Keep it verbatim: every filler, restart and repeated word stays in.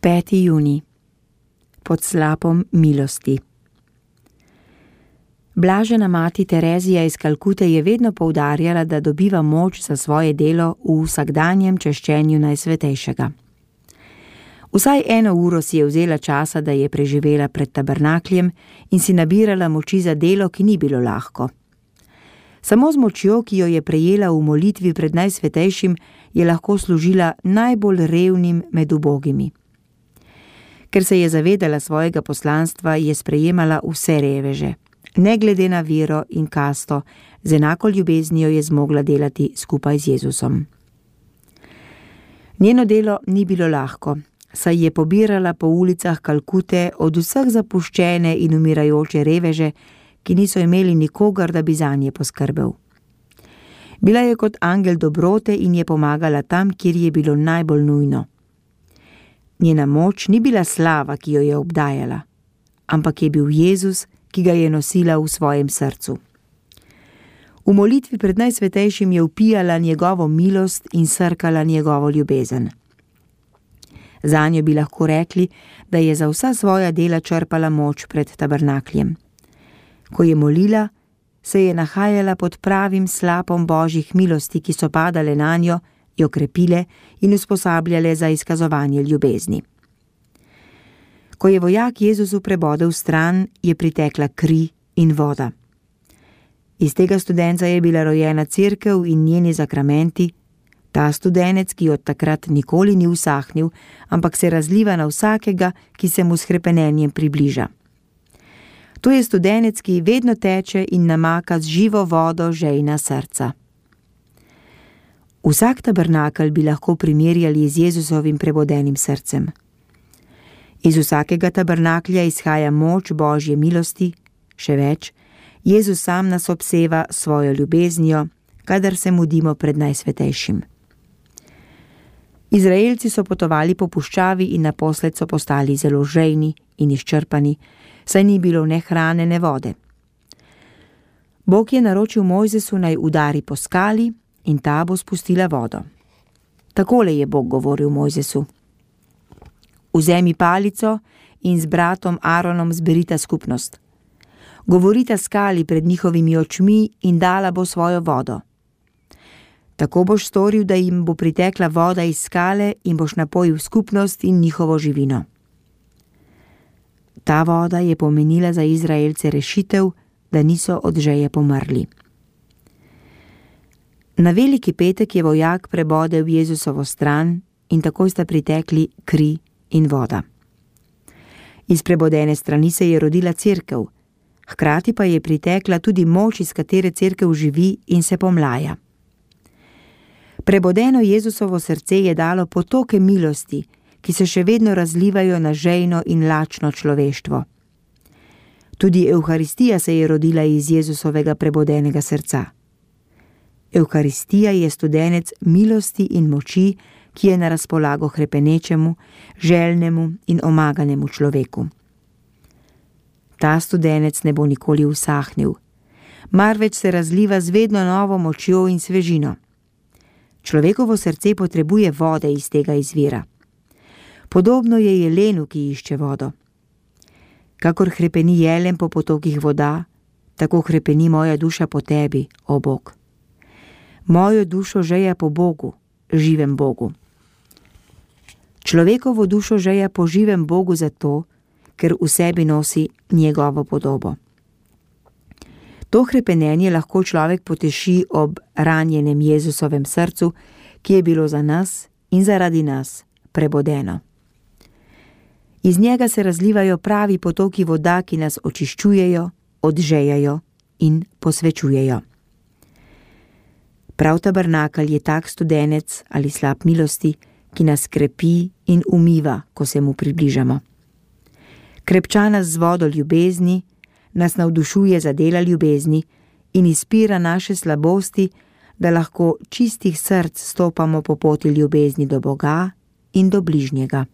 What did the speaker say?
peti junij. Pod slapom milosti. Blažena mati Terezija iz Kalkute je vedno poudarjala, da dobiva moč za svoje delo v vsakdanjem češčenju Najsvetejšega. Vsaj eno uro si je vzela časa, da je preživela pred tabernakljem in si nabirala moči za delo, ki ni bilo lahko. Samo z močjo, ki jo je prejela v molitvi pred Najsvetejšim, je lahko služila najbolj revnim med ubogimi. Ker se je zavedala svojega poslanstva, je sprejemala vse reveže. Ne glede na vero in kasto, z enako ljubeznijo je zmogla delati skupaj z Jezusom. Njeno delo ni bilo lahko, saj je pobirala po ulicah Kalkute od vseh zapuščene in umirajoče reveže, ki niso imeli nikogar, da bi zanje poskrbel. Bila je kot angel dobrote in je pomagala tam, kjer je bilo najbolj nujno. Njena moč ni bila slava, ki jo je obdajala, ampak je bil Jezus, ki ga je nosila v svojem srcu. V molitvi pred Najsvetejšim je vpijala njegovo milost in srkala njegovo ljubezen. Zanjo bi lahko rekli, da je za vsa svoja dela črpala moč pred tabernakljem. Ko je molila, se je nahajala pod pravim slapom Božjih milosti, ki so padale nanjo, jo krepile in usposabljale za izkazovanje ljubezni. Ko je vojak Jezusu prebodel stran, je pritekla kri in voda. Iz tega studenca je bila rojena cerkev in njeni zakramenti, ta studenec, ki od takrat nikoli ni usahnil, ampak se razliva na vsakega, ki se mu s hrepenenjem približa. To je studenec, ki vedno teče in namaka z živo vodo žejna srca. Vsak tabernakelj bi lahko primerjali z Jezusovim prebodenim srcem. Iz vsakega tabernaklja izhaja moč Božje milosti, še več, Jezus sam nas obseva svojo ljubeznijo, kadar se mudimo pred Najsvetejšim. Izraelci so potovali po puščavi in naposled so postali zelo žejni in izčrpani, saj ni bilo ne hrane, ne vode. Bog je naročil Mojzesu, naj udari po skali in ta bo spustila vodo. Takole je Bog govoril Mojzesu: Vzemi palico in z bratom Aaronom zberita skupnost. Govorita skali pred njihovimi očmi in dala bo svojo vodo. Tako boš storil, da jim bo pritekla voda iz skale in boš napojil skupnost in njihovo živino. Ta voda je pomenila za Izraelce rešitev, da niso od žeje pomrli. Na veliki petek je vojak prebodel Jezusovo stran in takoj sta pritekli kri in voda. Iz prebodene strani se je rodila cerkev, hkrati pa je pritekla tudi moč, iz katere cerkev živi in se pomlaja. Prebodeno Jezusovo srce je dalo potoke milosti, ki se še vedno razlivajo na žejno in lačno človeštvo. Tudi Evharistija se je rodila iz Jezusovega prebodenega srca. Evharistija je studenec milosti in moči, ki je na razpolago hrepenečemu, željnemu in omaganemu človeku. Ta studenec ne bo nikoli usahnil, marveč se razliva z vedno novo močjo in svežino. Človekovo srce potrebuje vode iz tega izvira. Podobno je jelenu, ki išče vodo. Kakor hrepeni jelen po potokih voda, tako hrepeni moja duša po tebi, o Bog. Mojo dušo žeja po Bogu, živem Bogu. Človekovo dušo žeja po živem Bogu zato, ker v sebi nosi njegovo podobo. To hrepenenje lahko človek poteši ob ranjenem Jezusovem srcu, ki je bilo za nas in zaradi nas prebodeno. Iz njega se razlivajo pravi potoki voda, ki nas očiščujejo, odžejajo in posvečujejo. Prav tabernakelj je tak studenec ali slap milosti, ki nas krepi in umiva, ko se mu približamo. Krepča nas z vodo ljubezni, nas navdušuje za dela ljubezni in izpira naše slabosti, da lahko čistih src stopamo po poti ljubezni do Boga in do bližnjega.